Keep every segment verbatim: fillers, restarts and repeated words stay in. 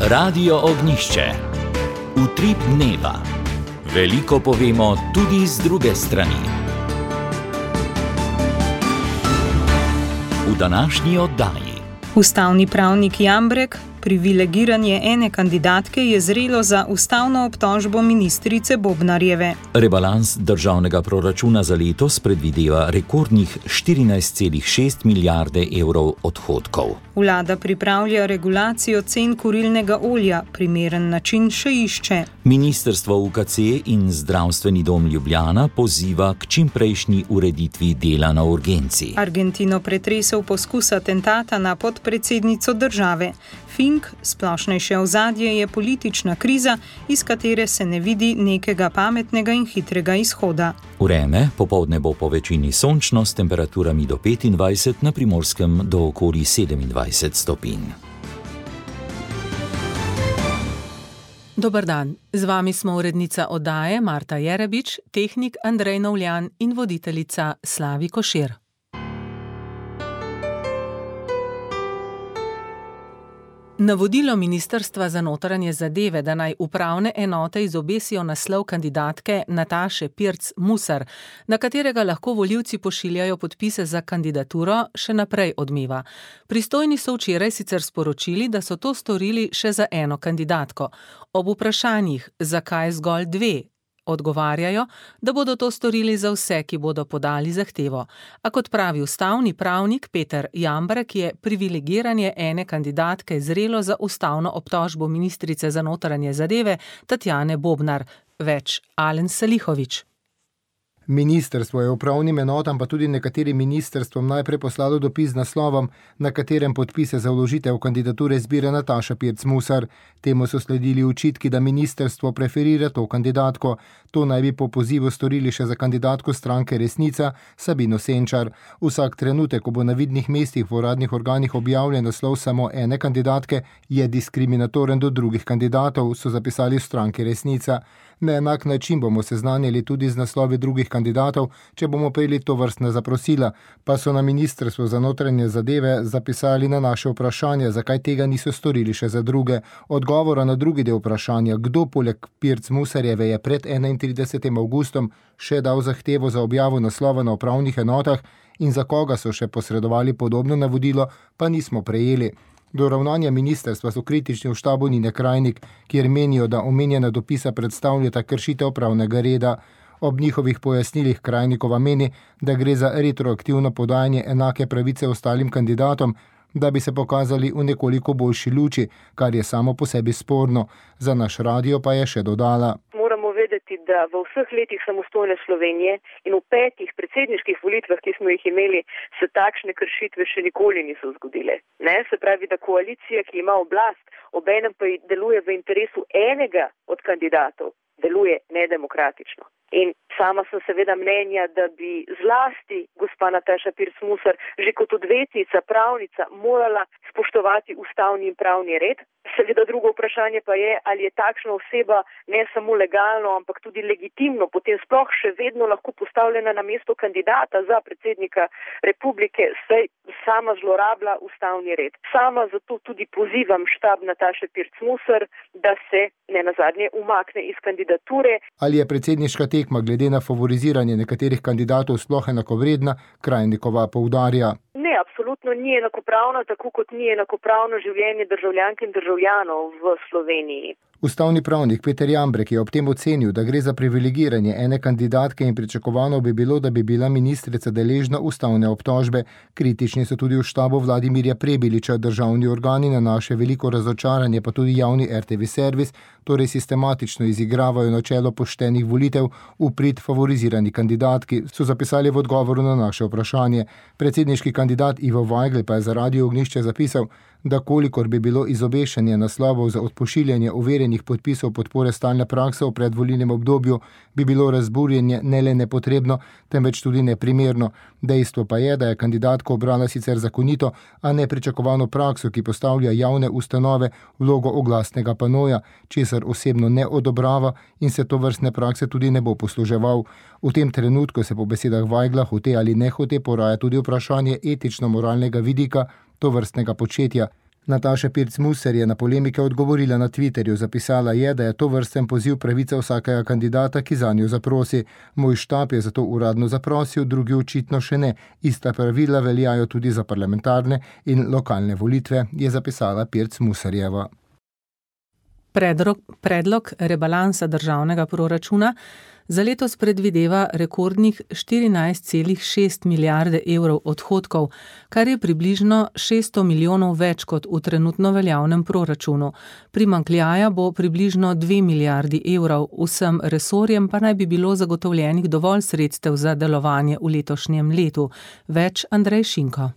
Radio Ognjišče. Utrip dneva. Veliko povemo tudi z druge strani. V današnji oddaji. Ustavni pravnik Jambrek: privilegiranje ene kandidatke je zrelo za ustavno obtožbo ministrice Bobnarjeve. Rebalans državnega proračuna za letos predvideva rekordnih štirinajst celih šest milijarde evrov odhodkov. Vlada pripravlja regulacijo cen kurilnega olja, primeren način še išče. Ministrstvo U K C in Zdravstveni dom Ljubljana poziva k čimprejšnji ureditvi dela na urgenci. Argentino pretresel poskus atentata na podpredsednico države. Fink, splošnejše ozadje je politična kriza, iz katere se ne vidi nekega pametnega in hitrega izhoda. Vreme, popoldne bo po večini sončno s temperaturami do petindvajset, na Primorskem do okoli sedemindvajset stopinj. Dober dan, z vami smo urednica oddaje Marta Jerebič, tehnik Andrej Novljan in voditeljica Slavi Košir. Navodilo Ministrstva za notranje zadeve, da naj upravne enote izobesijo naslov kandidatke Nataše Pirc Musar, na katerega lahko volivci pošiljajo podpise za kandidaturo, še naprej odmeva. Pristojni so včeraj sicer sporočili, da so to storili še za eno kandidatko. Ob vprašanjih, zakaj zgolj dve, odgovarjajo, da bodo to storili za vse, ki bodo podali zahtevo. A kot pravi ustavni pravnik Peter Jambrek, je privilegiranje ene kandidatke zrelo za ustavno obtožbo ministrice za notranje zadeve Tatjane Bobnar. Več Alen Salihović. Ministrstvo je upravnim enotam pa tudi nekaterim ministrstvom najprej poslalo dopis z naslovom, na katerem podpise za vložitev kandidature zbira Nataša Pirc Musar. Temu so sledili očitki, da ministrstvo preferira to kandidatko. To naj bi po pozivu storili še za kandidatko stranke Resnica Sabino Senčar. Vsak trenutek, ko bo na vidnih mestih v uradnih organih objavljen naslov samo ene kandidatke, je diskriminatoren do drugih kandidatov, so zapisali v stranki Resnica. Na enak način bomo seznanjali tudi z naslovi drugih kandidatov, če bomo prejeli to vrstna zaprosila, pa so na Ministrstvu za notranje zadeve zapisali na naše vprašanje, zakaj tega niso storili še za druge. Odgovora na drugi del vprašanja, kdo poleg Pirc Musarjeve je pred enaintridesetim avgustom še dal zahtevo za objavo naslova na upravnih enotah in za koga so še posredovali podobno navodilo, pa nismo prejeli. Do ravnanja ministrstva so kritični v štabu Nine Krajnik, kjer menijo, da omenjena dopisa predstavljata kršitev pravnega reda. Ob njihovih pojasnilih Krajnikova meni, da gre za retroaktivno podajanje enake pravice ostalim kandidatom, da bi se pokazali v nekoliko boljši luči, kar je samo po sebi sporno. Za naš radio pa je še dodala. Moramo vedeti, da v vseh letih samostojne Slovenije in v petih predsedniških volitvah, ki smo jih imeli, se takšne kršitve še nikoli niso zgodile. Ne? Se pravi, da koalicija, ki ima oblast, obenem pa deluje v interesu enega od kandidatov, deluje nedemokratično. In sama sem seveda mnenja, da bi zlasti gospa Nataša Pirc Musar že kot odvetnica, pravnica morala spoštovati ustavni in pravni red. Seveda drugo vprašanje pa je, ali je takšna oseba ne samo legalno, ampak tudi legitimno, potem sploh še vedno lahko postavljena na mesto kandidata za predsednika republike, saj sama zlorablja ustavni red. Sama zato tudi pozivam štab Nataše Pirc Musar, da se ne nazadnje umakne iz kandidature. Ali je predsedniška tekma glede na favoriziranje nekaterih kandidatov sploh enakovredna, Krajnikova poudarja. Ne, absolutno ni enakopravno, tako kot ni enakopravno življenje državljank in državljanov v Sloveniji. Ustavni pravnik Peter Jambrek je ob tem ocenil, da gre za privilegiranje ene kandidatke in pričakovano bi bilo, da bi bila ministrica deležna ustavne obtožbe. Kritični so tudi v štabu Vladimirja Prebiliča. Državni organi na naše veliko razočaranje, pa tudi javni R T V servis, torej sistematično izigravajo načelo poštenih volitev v prid favorizirani kandidatki, so zapisali v odgovoru na naše vprašanje. Predsedniški kandidat Ivo Vajgl pa je za Radio Ognjišče zapisal, da kolikor bi bilo izobešanje naslovov za odpošiljanje overjenih podpisov podpore stalne prakse v predvolilnem obdobju, bi bilo razburjenje ne le nepotrebno, temveč tudi neprimerno. Dejstvo pa je, da je kandidatka obrala sicer zakonito, a nepričakovano prakso, ki postavlja javne ustanove vlogo oglasnega panoja, česar osebno ne odobrava in se to vrstne prakse tudi ne bo posluževal. V tem trenutku se po besedah Vajgla hote ali ne hote poraja tudi vprašanje etično-moralnega vidika to vrstnega početja. Nataša Pirc Musar je na polemike odgovorila na Twitterju. Zapisala je, da je to vrsten poziv pravica vsakega kandidata, ki zanjo zaprosi. Moj štab je zato uradno zaprosil, drugi očitno še ne. Ista pravila veljajo tudi za parlamentarne in lokalne volitve, je zapisala Pirc Musarjeva. Predlog, predlog rebalansa državnega proračuna za letos predvideva rekordnih štirinajst celih šest milijarde evrov odhodkov, kar je približno šeststo milijonov več kot v trenutno veljavnem proračunu. Primanjkljaja bo približno dve milijardi evrov, vsem resorjem pa naj bi bilo zagotovljenih dovolj sredstev za delovanje v letošnjem letu. Več Andrej Šinko.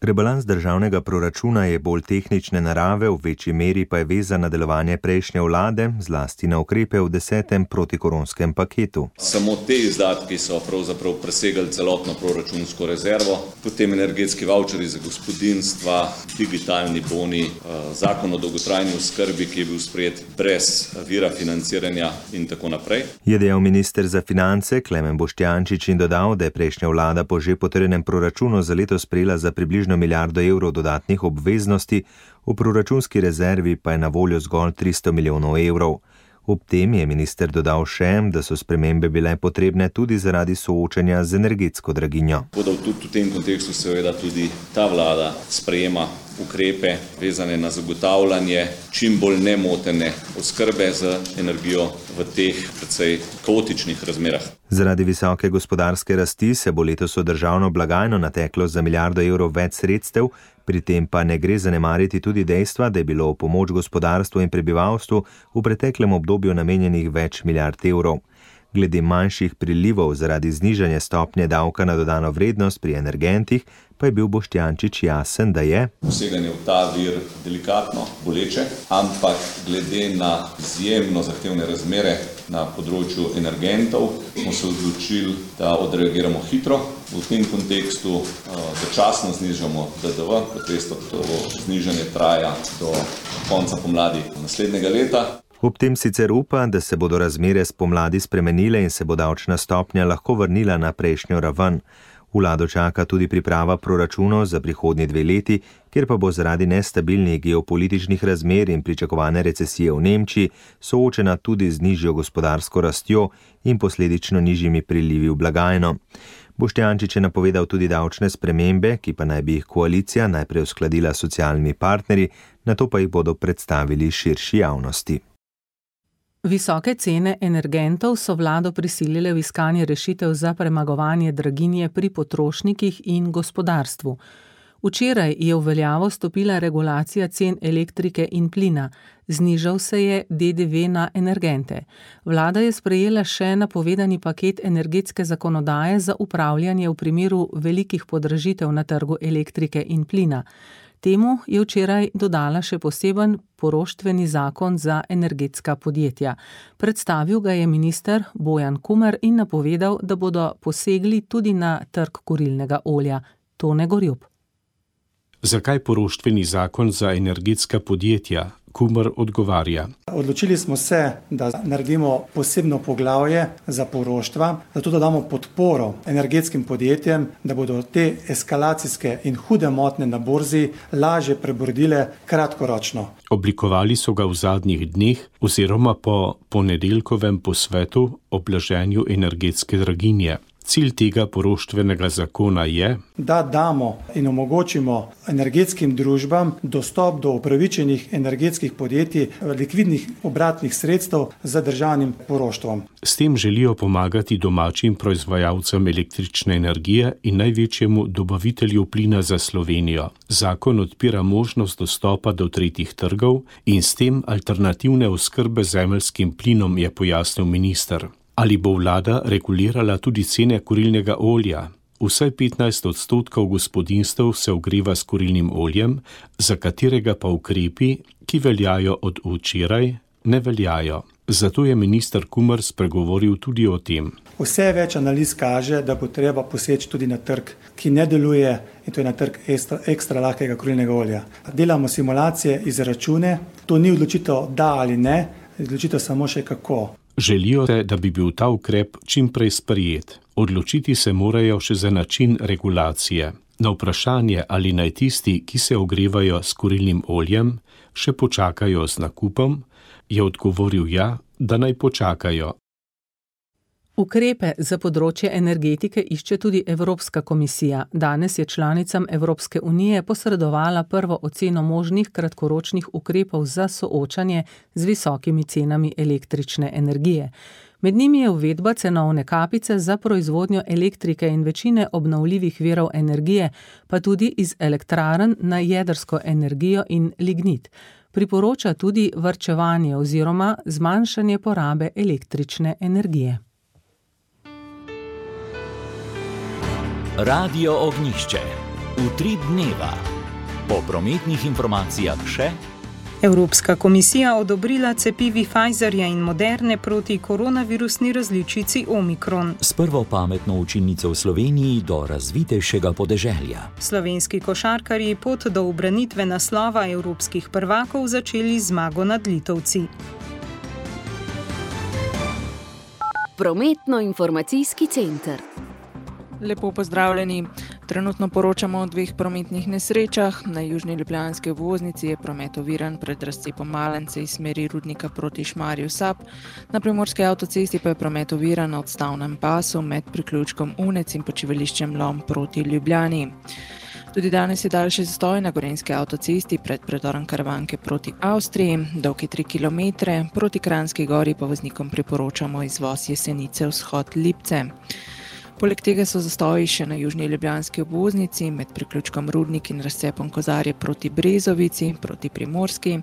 Rebalans državnega proračuna je bolj tehnične narave, v večji meri pa je vezan na delovanje prejšnje vlade, zlasti na ukrepe v desetem protikoronskem paketu. Samo te izdatki so pravzaprav presegali celotno proračunsko rezervo, potem energetski vaučeri za gospodinjstva, digitalni boni, zakon o dolgotrajni oskrbi, ki je bil sprejet brez vira financiranja in tako naprej. Je dejal minister za finance Klemen Boštjančič in dodal, da je prejšnja vlada po že potrjenem proračunu za leto sprejela za približno milijardo evrov dodatnih obveznosti, v proračunski rezervi pa je na voljo zgolj tristo milijonov evrov. Ob tem je minister dodal še, da so spremembe bile potrebne tudi zaradi soočanja z energetsko draginjo. Tudi v tem kontekstu seveda tudi ta vlada sprejema ukrepe vezane na zagotavljanje čim bolj nemotene oskrbe z energijo v teh precej kaotičnih razmerah. Zaradi visoke gospodarske rasti se bo letos v državno blagajno nateklo za milijardo evrov več sredstev, pri tem pa ne gre zanemariti tudi dejstva, da je bilo v pomoč gospodarstvu in prebivalstvu v preteklem obdobju namenjenih več milijard evrov. Glede manjših prilivov zaradi znižanja stopnje davka na dodano vrednost pri energentih, pa je bil Boštjančič jasen, da je poseganje v ta vir delikatno, boleče, ampak glede na izjemno zahtevne razmere na področju energentov smo se odločili, da odreagiramo hitro. V tem kontekstu začasno znižamo D D V, kot veste, to znižanje traja do konca pomladi naslednjega leta. Ob tem sicer upa, da se bodo razmere spomladi spremenile in se bo davčna stopnja lahko vrnila na prejšnjo raven. Vlado čaka tudi priprava proračunov za prihodnji dve leti, kjer pa bo zaradi nestabilnih geopolitičnih razmer in pričakovane recesije v Nemčiji soočena tudi z nižjo gospodarsko rastjo in posledično nižjimi prilivi v blagajno. Boštjančič je napovedal tudi davčne spremembe, ki pa naj bi jih koalicija najprej uskladila s socialnimi partnerji, nato pa jih bodo predstavili širši javnosti. Visoke cene energentov so vlado prisilile v iskanje rešitev za premagovanje draginje pri potrošnikih in gospodarstvu. Včeraj je v veljavo stopila regulacija cen elektrike in plina. Znižal se je D D V na energente. Vlada je sprejela še napovedani paket energetske zakonodaje za upravljanje v primeru velikih podražitev na trgu elektrike in plina. Temu je včeraj dodala še poseben poroštveni zakon za energetska podjetja. Predstavil ga je minister Bojan Kumer in napovedal, da bodo posegli tudi na trg kurilnega olja. Tone Gorjup. Zakaj poroštveni zakon za energetska podjetja? Kumer odgovarja. Odločili smo se, da naredimo posebno poglavje za poroštva, zato da damo podporo energetskim podjetjem, da bodo te eskalacijske in hude motnje na borzi lažje prebrodile kratkoročno. Oblikovali so ga v zadnjih dneh oziroma po ponedeljkovem posvetu o blaženju energetske draginje. Cilj tega poroštvenega zakona je, da damo in omogočimo energetskim družbam dostop do upravičenih energetskih podjetij likvidnih obratnih sredstev z državnim poroštvom. S tem želijo pomagati domačim proizvajalcem električne energije in največjemu dobavitelju plina za Slovenijo. Zakon odpira možnost dostopa do tretjih trgov in s tem alternativne oskrbe z zemeljskim plinom, je pojasnil minister. Ali bo vlada regulirala tudi cene kurilnega olja? Vsaj petnajst odstotkov gospodinjstev se ogreva s kurilnim oljem, za katerega pa ukrepi, ki veljajo od včeraj, ne veljajo. Zato je minister Kumer spregovoril tudi o tem. Vse več analiz kaže, da bo treba poseči tudi na trg, ki ne deluje, in to je na trg ekstra, ekstra lahkega kurilnega olja. Delamo simulacije, izračune, to ni odločitev da ali ne, odločitev samo še kako. Želijo, da bi bil ta ukrep čim prej sprejet. Odločiti se morajo še za način regulacije. Na vprašanje, ali naj tisti, ki se ogrevajo s kurilnim oljem, še počakajo z nakupom, je odgovoril ja, da naj počakajo. Ukrepe za področje energetike išče tudi Evropska komisija. Danes je članicam Evropske unije posredovala prvo oceno možnih kratkoročnih ukrepov za soočanje z visokimi cenami električne energije. Med njimi je uvedba cenovne kapice za proizvodnjo elektrike in večine obnovljivih virov energije, pa tudi iz elektrarn na jedrsko energijo in lignit. Priporoča tudi varčevanje oziroma zmanjšanje porabe električne energije. Radio Ognjišče. Utrip dneva. Po prometnih informacijah še. Evropska komisija odobrila cepivi Pfizerja in Moderne proti koronavirusni različici Omikron. S prvo pametno učilnico v Sloveniji do razvitejšega podeželja. Slovenski košarkarji pot do ubranitve naslova evropskih prvakov začeli zmago nad Litovci. Prometno-informacijski center. Lepo pozdravljeni. Trenutno poročamo o dveh prometnih nesrečah. Na južni ljubljanski obvoznici je promet oviran pred razcepom Malence iz smeri Rudnika proti Šmarju Sap. Na primorski avtocesti pa je promet oviran na odstavnem pasu med priključkom Unec in počivališčem Lom proti Ljubljani. Tudi danes je daljši zastoj na gorenjski avtocesti pred predorom Karavanke proti Avstriji, dolgi tri kilometre, proti Kranjski gori pa voznikom priporočamo izvoz Jesenice vzhod Lipce. Poleg tega so zastoji še na južni ljubljanski obvoznici med priključkom Rudnik in razcepom Kozarje proti Brezovici, proti Primorski,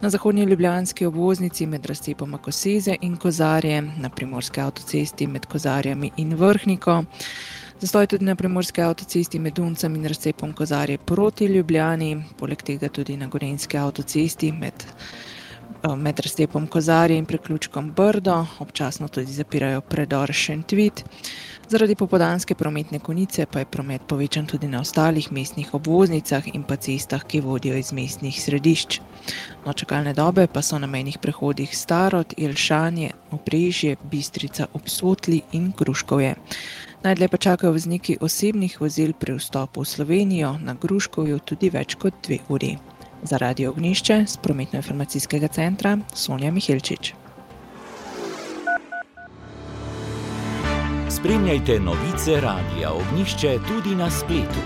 na zahodnji ljubljanski obvoznici med razcepom Koseze in Kozarje, na primorski avtocesti med Kozarjami in Vrhniko, zastoj tudi na primorski avtocesti med Duncem in razcepom Kozarje proti Ljubljani, poleg tega tudi na gorenjski avtocesti med med razcepom Kozarje in priključkom Brdo, občasno tudi zapirajo predor Šentvid. Zaradi popoldanske prometne konice pa je promet povečan tudi na ostalih mestnih obvoznicah in pa cestah, ki vodijo iz mestnih središč. No, čakalne dobe pa so na mejnih prehodih Starod, Jelšanje, Obrežje, Bistrica ob Sotli in Gruškovje. Najdlje pa čakajo vozniki osebnih vozil pri vstopu v Slovenijo, na Gruškovju tudi več kot dve uri. Za Radio Ognjišče z prometno-informacijskega centra Sonja Mihelčič. Spremljajte novice Radia Ognjišče tudi na spletu.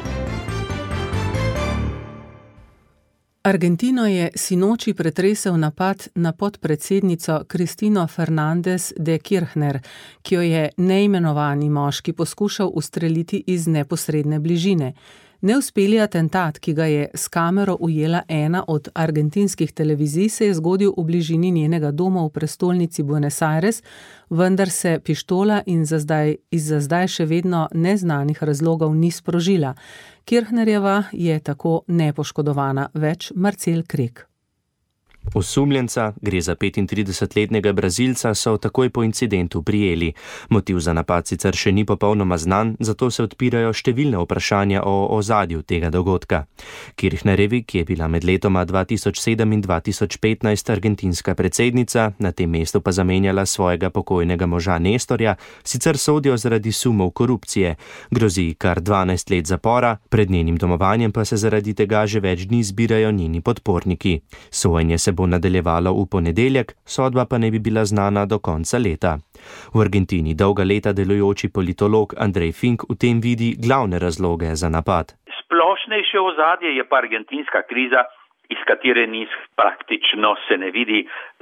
Argentino je sinoči pretresel napad na podpredsednico Cristina Fernández de Kirchner, ki jo je neimenovani moški poskušal ustreliti iz neposredne bližine. Neuspeli atentat, ki ga je s kamero ujela ena od argentinskih televizij, se je zgodil v bližini njenega doma v prestolnici Buenos Aires, vendar se pištola in za zdaj, iz za zdaj še vedno neznanih razlogov ni sprožila. Kirchnerjeva je tako nepoškodovana, več Marcel Krek. Osumljenca, gre za petintridesetletnega Brazilca, so takoj po incidentu prijeli. Motiv za napad sicer še ni popolnoma znan, zato se odpirajo številne vprašanja o ozadju tega dogodka. Kirchnerjevi, ki je bila med letoma dva tisoč sedem in dva tisoč petnajst argentinska predsednica, na tem mestu pa zamenjala svojega pokojnega moža Nestorja, sicer sodijo zaradi sumov korupcije. Grozi kar dvanajst let zapora, pred njenim domovanjem pa se zaradi tega že več dni zbirajo njeni podporniki. Sojenje se bo nadaljevalo v ponedeljek, sodba pa ne bi bila znana do konca leta. V Argentini dolga leta delujoči politolog Andrej Fink v tem vidi glavne razloge za napad. Splošnejše ozadje je pa argentinska kriza, iz katere niz praktično se ne vidi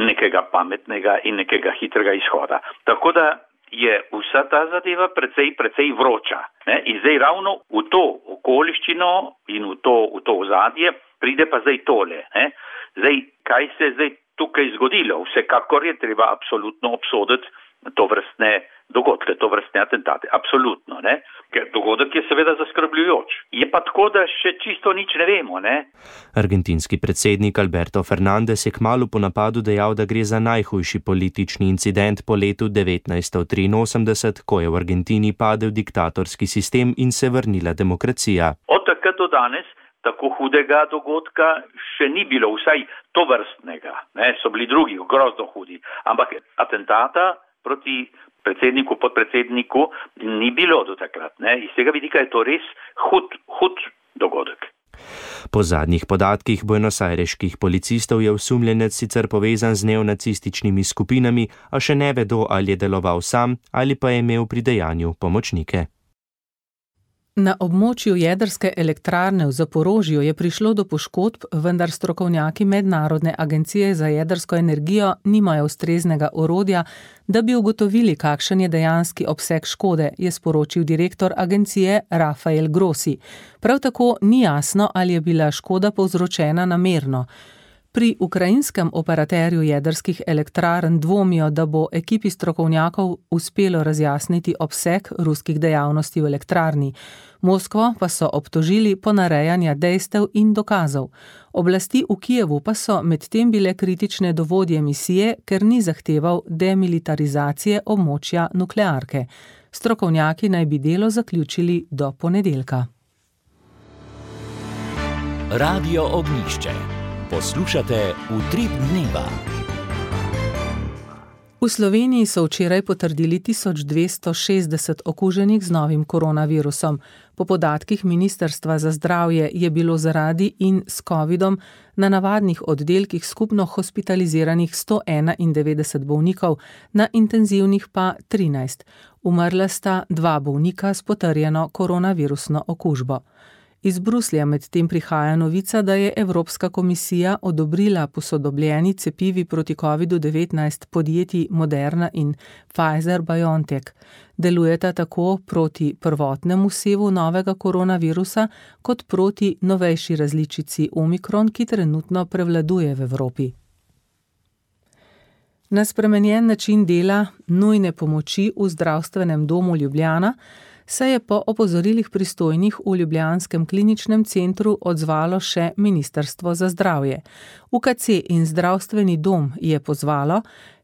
nekega pametnega in nekega hitrega izhoda. Tako da je vsa ta zadeva precej, precej vroča. Ne? In zdaj ravno v to okoliščino in v to, v to ozadje pride pa zdaj tole. Ne? Zdaj, kaj se je zdaj tukaj zgodilo? Vsekakor je treba absolutno obsoditi to vrstne dogodke, to vrstne atentate. Absolutno, ne? Ker dogodek je seveda zaskrbljujoč. Je pa tako, da še čisto nič ne vemo, ne? Argentinski predsednik Alberto Fernández je kmalu po napadu dejal, da gre za najhujši politični incident po letu devetnajststo triinosemdeset, ko je v Argentini padel diktatorski sistem in se vrnila demokracija. Od takrat do danes tako hudega dogodka še ni bilo, vsaj to vrstnega. Ne, so bili drugi, grozno hudi. Ampak atentata proti predsedniku, podpredsedniku ni bilo do takrat. Ne? Iz tega vidika je to res hud, hud dogodek. Po zadnjih podatkih buenosajreških policistov je osumljenec sicer povezan z neonacističnimi skupinami, a še ne vedo, ali je deloval sam ali pa je imel pri dejanju pomočnike. Na območju jedrske elektrarne v Zaporožju je prišlo do poškodb, vendar strokovnjaki Mednarodne agencije za jedrsko energijo nimajo ustreznega orodja, da bi ugotovili, kakšen je dejanski obseg škode, je sporočil direktor agencije Rafael Grossi. Prav tako ni jasno, ali je bila škoda povzročena namerno. Pri ukrajinskem operaterju jedrskih elektrarn dvomijo, da bo ekipi strokovnjakov uspelo razjasniti obseg ruskih dejavnosti v elektrarni. Moskvo pa so obtožili ponarejanja dejstev in dokazov. Oblasti v Kijevu pa so medtem bile kritične do vodje misije, ker ni zahteval demilitarizacije območja nuklearke. Strokovnjaki naj bi delo zaključili do ponedeljka. Radio Ognjišče. Poslušate Utrip dneva. V Sloveniji so včeraj potrdili tisoč dvesto šestdeset okuženih z novim koronavirusom. Po podatkih Ministrstva za zdravje je bilo zaradi in s covidom na navadnih oddelkih skupno hospitaliziranih sto enaindevetdeset bolnikov, na intenzivnih pa trinajst. Umrla sta dva bolnika s potrjeno koronavirusno okužbo. Iz Bruslja medtem prihaja novica, da je Evropska komisija odobrila posodobljeni cepivi proti kovidu devetnajst podjetij Moderna in Pfizer-BioNTech. Delujeta tako proti prvotnemu sevu novega koronavirusa, kot proti novejši različici Omikron, ki trenutno prevladuje v Evropi. Na spremenjen način dela nujne pomoči v zdravstvenem domu Ljubljana se je po opozorilih pristojnih v ljubljanskem kliničnem centru odzvalo še Ministrstvo za zdravje. U K C in zdravstveni dom je pozvalo,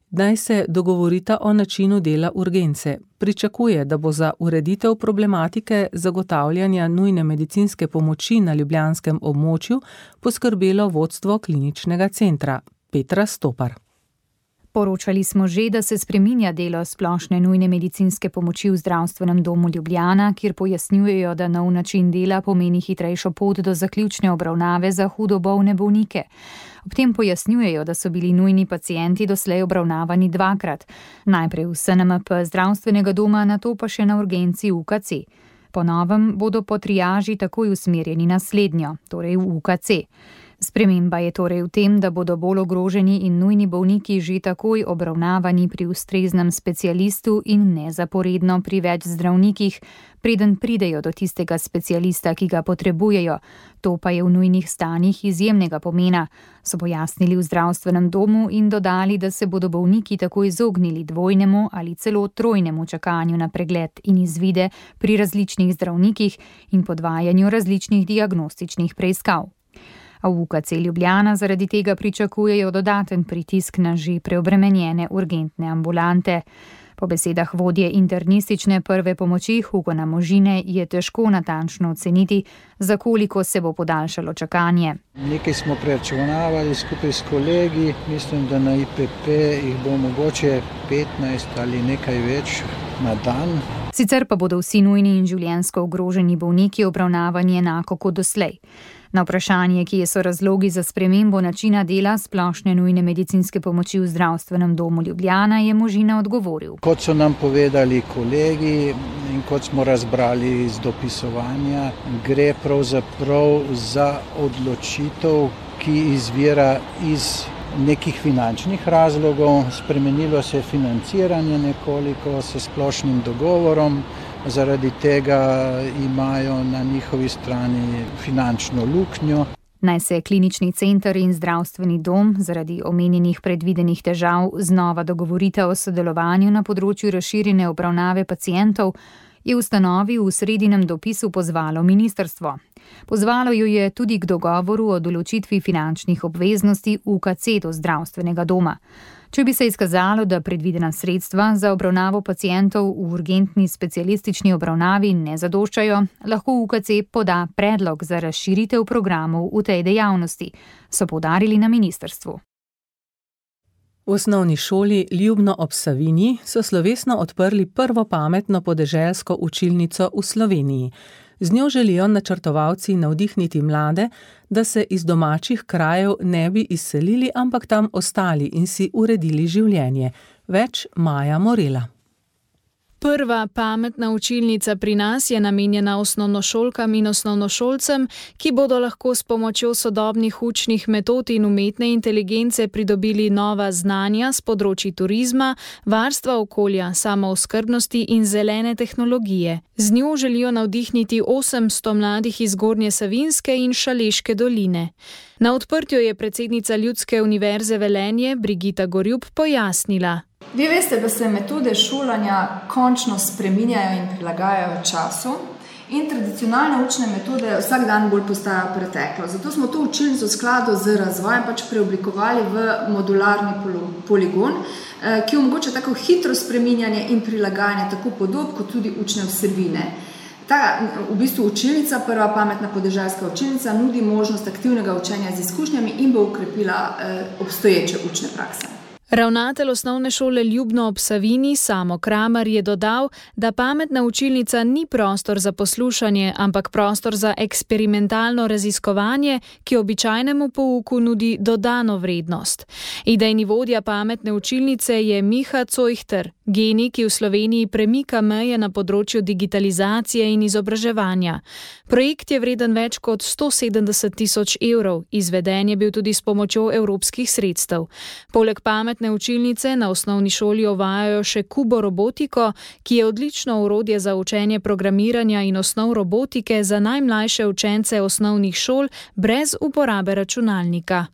naj se dogovorita o načinu dela urgence. Pričakuje, da bo za ureditev problematike zagotavljanja nujne medicinske pomoči na ljubljanskem območju poskrbelo vodstvo kliničnega centra. Petra Stopar. Poročali smo že, da se spreminja delo splošne nujne medicinske pomoči v zdravstvenem domu Ljubljana, kjer pojasnjujejo, da nov način dela pomeni hitrejšo pot do zaključne obravnave za hudo bolne bolnike. Ob tem pojasnjujejo, da so bili nujni pacienti doslej obravnavani dvakrat. Najprej v S N M P zdravstvenega doma, nato pa še na urgenci U K C. Po novem bodo po triaži takoj usmerjeni na slednjo, torej v U K C. Sprememba je torej v tem, da bodo bolj ogroženi in nujni bolniki že takoj obravnavani pri ustreznem specialistu in ne zaporedno pri več zdravnikih, preden pridejo do tistega specialista, ki ga potrebujejo. To pa je v nujnih stanjih izjemnega pomena, so pojasnili v zdravstvenem domu in dodali, da se bodo bolniki tako izognili dvojnemu ali celo trojnemu čakanju na pregled in izvide pri različnih zdravnikih in podvajanju različnih diagnostičnih preiskav. A v U K C Ljubljana zaradi tega pričakujejo dodaten pritisk na že preobremenjene urgentne ambulante. Po besedah vodje internistične prve pomoči Hugona Možine je težko natančno oceniti, za koliko se bo podaljšalo čakanje. Nekaj smo preračunavali skupaj s kolegi, mislim, da na I P P jih bo mogoče petnajst ali nekaj več na dan. Sicer pa bodo vsi nujni in življenjsko ogroženi bolniki obravnavani enako kot doslej. Na vprašanje, kje so razlogi za spremembo načina dela splošne nujne medicinske pomoči v zdravstvenem domu Ljubljana, je Možina odgovoril. Kot so nam povedali kolegi in kot smo razbrali iz dopisovanja, gre pravzaprav za odločitev, ki izvira iz nekih finančnih razlogov. Spremenilo se je financiranje nekoliko s splošnim dogovorom. Zaradi tega imajo na njihovi strani finančno luknjo. Naj se klinični center in zdravstveni dom zaradi omenjenih predvidenih težav znova dogovorita o sodelovanju na področju razširjene obravnave pacientov, je ustanovi v sredinem dopisu pozvalo ministrstvo. Pozvalo jo je tudi k dogovoru o določitvi finančnih obveznosti U K C do zdravstvenega doma. Če bi se izkazalo, da predvidena sredstva za obravnavo pacientov v urgentni specialistični obravnavi ne zadoščajo, lahko U K C poda predlog za razširitev programov v tej dejavnosti, so poudarili na ministrstvu. V osnovni šoli Ljubno ob Savinji so slovesno odprli prvo pametno podeželsko učilnico v Sloveniji. Z njo želijo načrtovalci navdihniti mlade, da se iz domačih krajev ne bi izselili, ampak tam ostali in si uredili življenje. Več Maja Morela. Prva pametna učilnica pri nas je namenjena osnovnošolkam in osnovnošolcem, ki bodo lahko s pomočjo sodobnih učnih metod in umetne inteligence pridobili nova znanja s področji turizma, varstva okolja, samooskrbnosti in zelene tehnologije. Z njo želijo navdihniti osemsto mladih iz Zgornje Savinjske in Šaleške doline. Na odprtju je predsednica Ljudske univerze Velenje Brigita Gorjup pojasnila. Vi veste, da se metode šolanja končno spreminjajo in prilagajajo času in tradicionalne učne metode vsak dan bolj postajajo preteklo. Zato smo to učilnico v skladu z razvojem pač preoblikovali v modularni poligon, ki omogoča tako hitro spreminjanje in prilagajanje tako podob kot tudi učne vsebine. Ta v bistvu učilnica, prva pametna podeželska učilnica, nudi možnost aktivnega učenja z izkušnjami in bo ukrepila obstoječe učne prakse. Ravnatelj osnovne šole Ljubno ob Savinji Samo Kramer je dodal, da pametna učilnica ni prostor za poslušanje, ampak prostor za eksperimentalno raziskovanje, ki običajnemu pouku nudi dodano vrednost. Idejni vodja pametne učilnice je Miha Cojhter, genij, ki v Sloveniji premika meje na področju digitalizacije in izobraževanja. Projekt je vreden več kot sto sedemdeset tisoč evrov, izveden je bil tudi s pomočjo evropskih sredstev. Poleg pametne učilnice na osnovni šoli uvajajo še Kubo robotiko, ki je odlično orodje za učenje programiranja in osnov robotike za najmlajše učence osnovnih šol brez uporabe računalnika.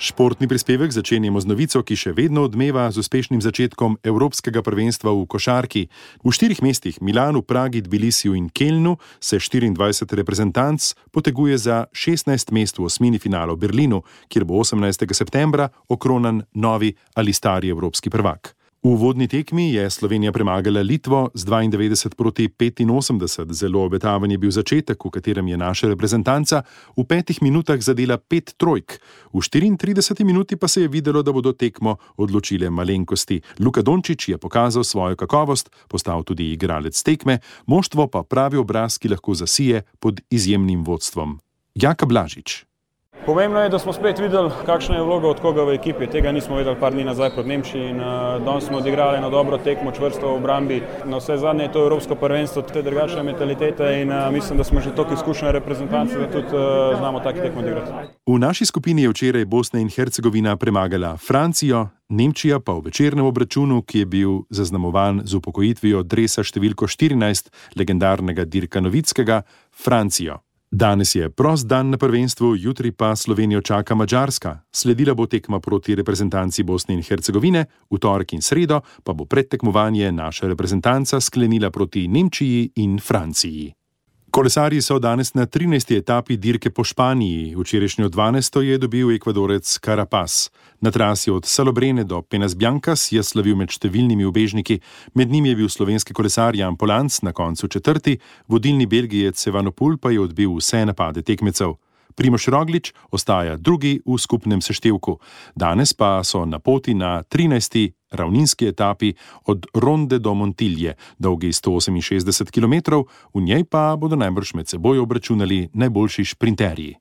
Športni prispevek začenjamo z novico, ki še vedno odmeva z uspešnim začetkom Evropskega prvenstva v košarki. V štirih mestih Milanu, Pragi, Tbilisiju in Kelnu se štiriindvajset reprezentanc poteguje za šestnajst mest v osmini finala v Berlinu, kjer bo osemnajstega septembra okronan novi ali stari evropski prvak. V uvodni tekmi je Slovenija premagala Litvo z dvaindevetdeset proti petinosemdeset. Zelo obetaven je bil začetek, v katerem je naša reprezentanca v petih minutah zadela pet trojk. V štiriintrideseti minuti pa se je videlo, da bodo tekmo odločile malenkosti. Luka Dončić je pokazal svojo kakovost, postal tudi igralec tekme, moštvo pa pravi obraz, ki lahko zasije pod izjemnim vodstvom. Jaka Blažič. Pomembno je, da smo spet videli, kakšna je vloga od koga v ekipi. Tega nismo videli par dni nazaj proti Nemčiji in uh, danes smo odigrali na dobro tekmo, čvrsto v obrambi. Na vse zadnje je to evropsko prvenstvo, te drugačne mentalitete in uh, mislim, da smo že toliko izkušene reprezentance, da tudi uh, znamo take tekmo odigrati. V naši skupini je včeraj Bosna in Hercegovina premagala Francijo, Nemčija pa v večernem obračunu, ki je bil zaznamovan z upokojitvijo dresa številko štirinajst legendarnega Dirka Novickega, Francijo. Danes je prost dan na prvenstvu, jutri pa Slovenijo čaka Madžarska. Sledila bo tekma proti reprezentanci Bosne in Hercegovine, v torek in sredo pa bo predtekmovanje naša reprezentanca sklenila proti Nemčiji in Franciji. Kolesarji so danes na trinajsti etapi dirke po Španiji. Včerajšnjo dvanajsto je dobil Ekvadorec Carapaz. Na trasi od Salobrene do Penas Blancas je slavil med številnimi ubežniki. Med njimi je bil slovenski kolesar Jan Polanc na koncu četrti, vodilni Belgijec Evenepoel pa je odbil vse napade tekmecev. Primož Roglič ostaja drugi v skupnem seštevku. Danes pa so na poti na trinajsti ravninski etapi od Ronde do Montilje, dolgi sto oseminšestdeset kilometrov, v njej pa bodo najbrž med seboj obračunali najboljši šprinterji.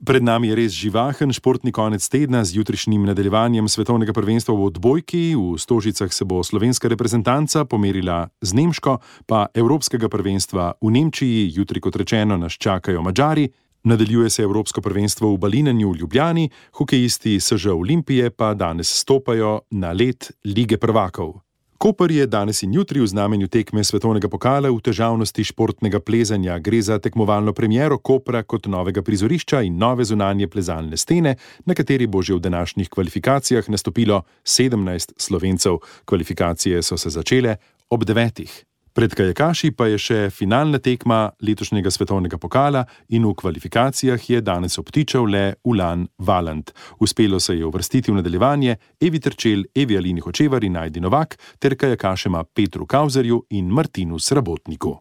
Pred nami je res živahen športni konec tedna z jutrišnjim nadaljevanjem svetovnega prvenstva v odbojki. V Stožicah se bo slovenska reprezentanca pomerila z Nemško, pa evropskega prvenstva v Nemčiji, jutri kot rečeno nas čakajo Madžari. Nadaljuje se evropsko prvenstvo v balinanju v Ljubljani, hokejisti S Ž Olimpije pa danes stopajo na led Lige prvakov. Koper je danes in jutri v znamenju tekme svetovnega pokala v težavnosti športnega plezanja. Gre za tekmovalno premiero Kopra kot novega prizorišča in nove zunanje plezalne stene, na kateri bo že v današnjih kvalifikacijah nastopilo sedemnajst Slovencev. Kvalifikacije so se začele ob devetih. Pred kajakaši pa je še finalna tekma letošnjega svetovnega pokala in v kvalifikacijah je danes obtičal le Ulan Valant. Uspelo se je uvrstiti v nadaljevanje Evi Terčel, Evi Alini Hočevar in Najdi Novak ter kajakašema Petru Kauzerju in Martinu Srabotniku.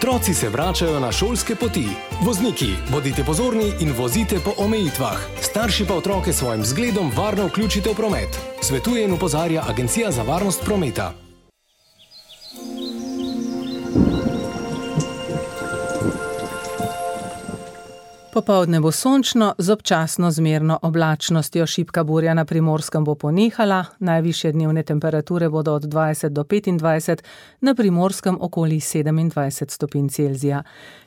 Otroci se vračajo na šolske poti. Vozniki, bodite pozorni in vozite po omejitvah. Starši pa otroke s svojim zgledom varno vključite v promet. Svetuje in opozarja Agencija za varnost prometa. Popoldne bo sončno, z občasno zmerno oblačnostjo. Šibka burja na Primorskem bo ponehala, najvišje dnevne temperature bodo od dvajset do petindvajset, na Primorskem okoli sedemindvajset stopinj Celzija.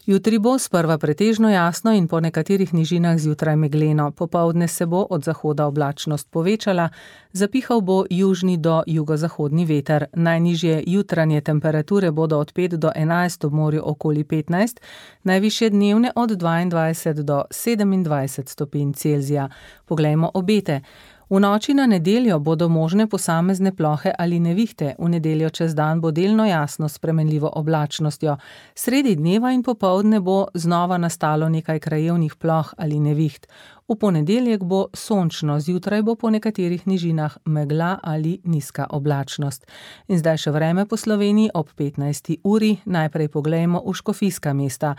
Jutri bo sprva pretežno jasno in po nekaterih nižinah zjutraj megleno. Popoldne se bo od zahoda oblačnost povečala, zapihal bo južni do jugozahodni veter. Najnižje jutranje temperature bodo od pet do enajst, ob morju okoli petnajst, najvišje dnevne od dvaindvajset do sedemindvajset stopinj Celzija. Poglejmo obete. V noči na nedeljo bodo možne posamezne plohe ali nevihte. V nedeljo čez dan bo delno jasno s spremenljivo oblačnostjo. Sredi dneva in popoldne bo znova nastalo nekaj krajevnih ploh ali neviht. V ponedeljek bo sončno, zjutraj bo po nekaterih nižinah megla ali nizka oblačnost. In zdaj še vreme po Sloveniji ob petnajsti uri. Najprej poglejmo v škofijska mesta.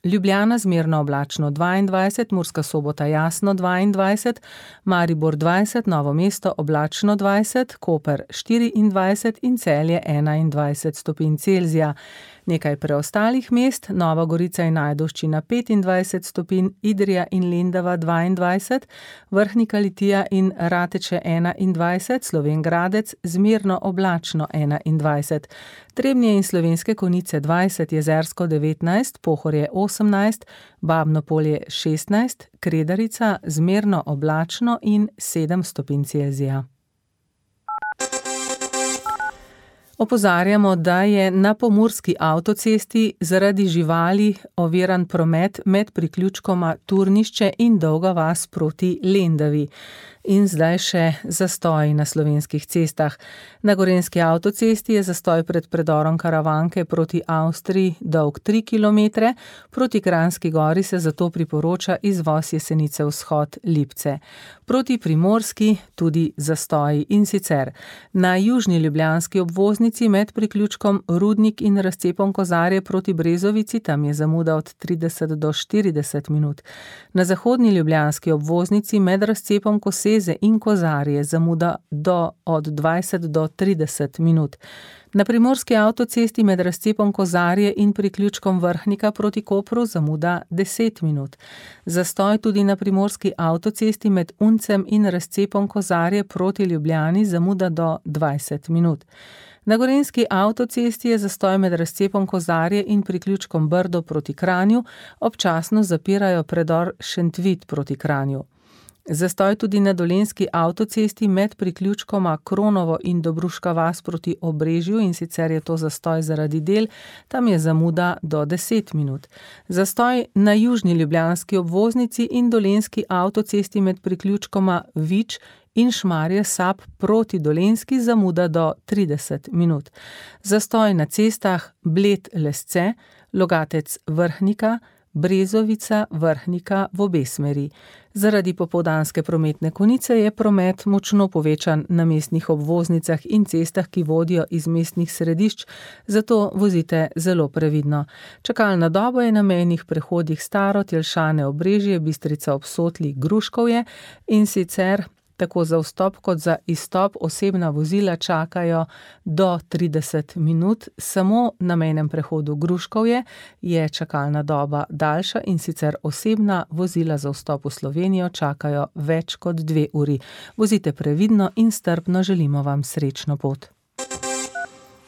Ljubljana zmerno oblačno dvaindvajset, Murska Sobota jasno dvaindvajset, Maribor dvajset, Novo mesto oblačno dvajset, Koper štiriindvajset in Celje enaindvajset stopinj Celzija. Nekaj preostalih mest, Nova Gorica in Ajdovščina petindvajset stopinj, Idrija in Lendava dvaindvajset, Vrhnika Litija in Rateče enaindvajset, Slovenj Gradec zmerno oblačno enaindvajset, Trebnje in Slovenske Konjice dvajset, Jezersko devetnajst, Pohorje osemnajst, Babno Polje šestnajst, Kredarica zmerno oblačno in sedem stopinj Celzija. Opozarjamo, da je na pomurski avtocesti zaradi živali oviran promet med priključkoma Turnišče in Dolga vas proti Lendavi. In zdaj še zastoj na slovenskih cestah. Na gorenjski avtocesti je zastoj pred predorom Karavanke proti Avstriji dolg tri kilometre, proti Kranjski Gori se zato priporoča izvoz Jesenice vzhod Lipce. Proti Primorski tudi zastoji, in sicer na južni ljubljanski obvoznici med priključkom Rudnik in razcepom Kozarje proti Brezovici, tam je zamuda od trideset do štirideset minut. Na zahodni ljubljanski obvoznici med razcepom Koseze in Kozarje zamuda do od dvajset do trideset minut. Na primorski avtocesti med razcepom Kozarje in priključkom Vrhnika proti Kopru zamuda deset minut. Zastoj tudi na primorski avtocesti med Uncem in razcepom Kozarje proti Ljubljani zamuda do dvajset minut. Na gorenjski avtocesti je zastoj med razcepom Kozarje in priključkom Brdo proti Kranju, občasno zapirajo predor Šentvid proti Kranju. Zastoj tudi na dolenjski avtocesti med priključkoma Kronovo in Dobruška vas proti Obrežju, in sicer je to zastoj zaradi del, tam je zamuda do deset minut. Zastoj na južni ljubljanski obvoznici in dolenjski avtocesti med priključkoma Vič in Šmarje Sap proti Dolenjski zamuda do trideset minut. Zastoj na cestah Bled Lesce, Logatec Vrhnika, Brezovica Vrhnika v obe smeri. Zaradi popoldanske prometne konice je promet močno povečan na mestnih obvoznicah in cestah, ki vodijo iz mestnih središč, zato vozite zelo previdno. Čakalna doba je na mejnih prehodih Staro, Tjelšane, Obrežje, Bistrica ob Sotli, Gruškovje, in sicer tako za vstop kot za izstop osebna vozila čakajo do trideset minut. Samo na mejnem prehodu Gruškovje je čakalna doba daljša, in sicer osebna vozila za vstop v Slovenijo čakajo več kot dve uri. Vozite previdno in strpno, želimo vam srečno pot.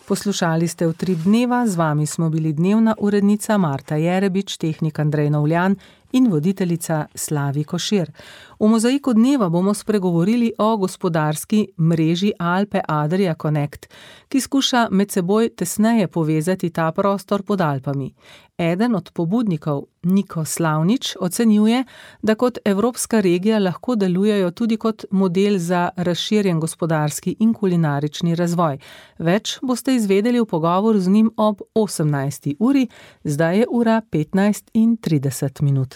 Poslušali ste v Tri dneva, z vami smo bili dnevna urednica Marta Jerebič, tehnik Andrej Novljan in voditeljica Slavi Košir. V mozaiku dneva bomo spregovorili o gospodarski mreži Alpe Adria Connect, ki skuša med seboj tesneje povezati ta prostor pod Alpami. Eden od pobudnikov, Niko Slavnič, ocenjuje, da kot evropska regija lahko delujejo tudi kot model za razširjen gospodarski in kulinarični razvoj. Več boste izvedeli v pogovoru z njim ob osemnajsti uri, zdaj je ura petnajst in trideset minut.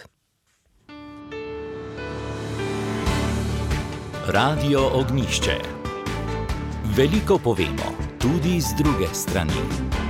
Radio Ognjišče. Veliko povemo, tudi z druge strani.